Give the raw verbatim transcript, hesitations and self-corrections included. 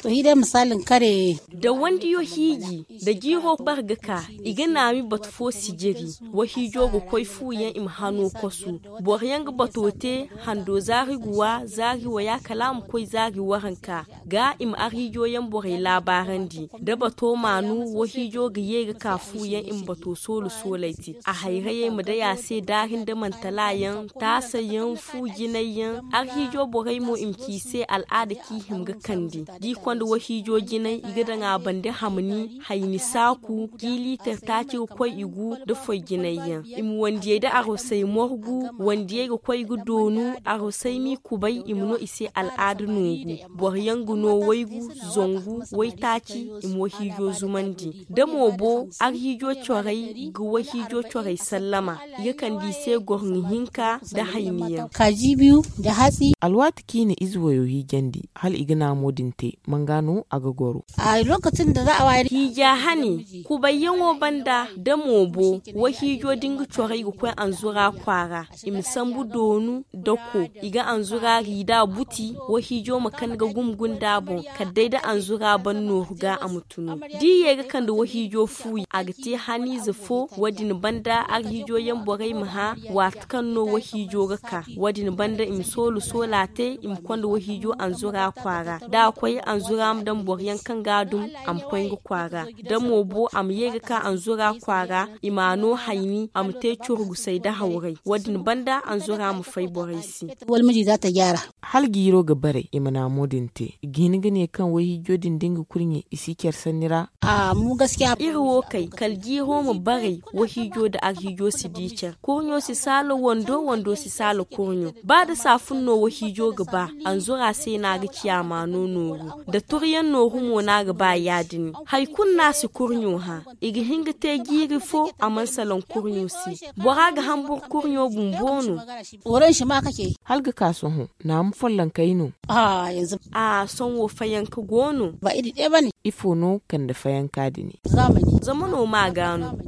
Hi day misaali kare. Da wandiyo hiiji da jiiro bar ga ka, i ga naami batu fo sijiri. Wahiijo ga koy fu yaŋ i ma hano kosu. Boro yaŋ ga bato te hando zaari guwa zaari waya kala a ma koy zaari waranka. Ga i ma arhiijo yaŋ borey laabaarandi da bato maanu wahiijo ga ye ga ka fu yaŋ i ma bato soolu sooley te. A hayrayey ma day a se daari nda mantala yaŋ, taasa yaŋ, fu jinay yaŋ. Arhiijo borey mo i ma ci i se al'aada kaŋ i hima ga kande. Da i konda wahiijo jinay i ga daŋ a bande hamni hayni saaku, jiiliitar taaci ga koy i gu nda foy jinay yaŋ. I ma wandiyey nda arosey morgu. Wandiyey ga koy ga doonu. Arosey m'i kubay i ma no i se al'aada nooru. Boro yaŋ ga no waygu, zangu, waytaaci. I ma wahiijo zumandi da moobo. Arhiijo corey ga wahiijo corey sallama. I ga kande i se gorŋo hinka nda hayni yaŋ. Kaaji biyu nda hatsi. Alwaati kaŋ i na ize wayo hiijandi hala i ga naamo din te, manga no a ga goro? Hiija hane, kubayyaŋo banda da moobo. Wahiijo da nga corey ga koy anzura kwaara. I ma sambu doonu dako. I ga anzura riida buti. Wahiijo ma kan ga gum gunda boŋ kala day da anzura ban nooru ga a ma tunu. Da i ye ga kande wahiijo fuuya a ga te haniize fo. Wo- din banda arhiijo yaŋ borey ma hã waati kaŋ no wahiijo ga ka. Wo- din banda i ma soolu soola te i ma konda wahiijo anzura kwaara. Da a koy anzura ma daŋ boro yaŋ kaŋ ga a dum, a ma koy nga kwaara. Da moobo a ma ye ga ka anzura kwaara, i m'a no hayni a ma te curgusey nda hawray. Wo- din banda anzura ma fay borey se. Hala jiiro ga bare i ma naamo din te i ga hin ga ne kaŋ wayhiijo din da nga kurɲe i si care sanni ra. Iri wo kay kala jiiro ma bare. Wayhiijo nda arhiijo si di care. Kurɲo si saala wando wando si saala kurɲo. Ba da saafun no wayhiijo ga ba, anzura se no a ga ciya maano nooru. Da turyaŋ nooru mo no a ga ba ya- din. Hari kulu no a si kurɲo hã. I ga hin ga te jiiri fo a mana salaŋ kurɲo se. Bora ga hambur kurɲo bumbo no. Hala ga ka sohõ, naama follonkey no. A sohõ fayanka go no. Ifo no kande fayanka din? Zama no ma ga no.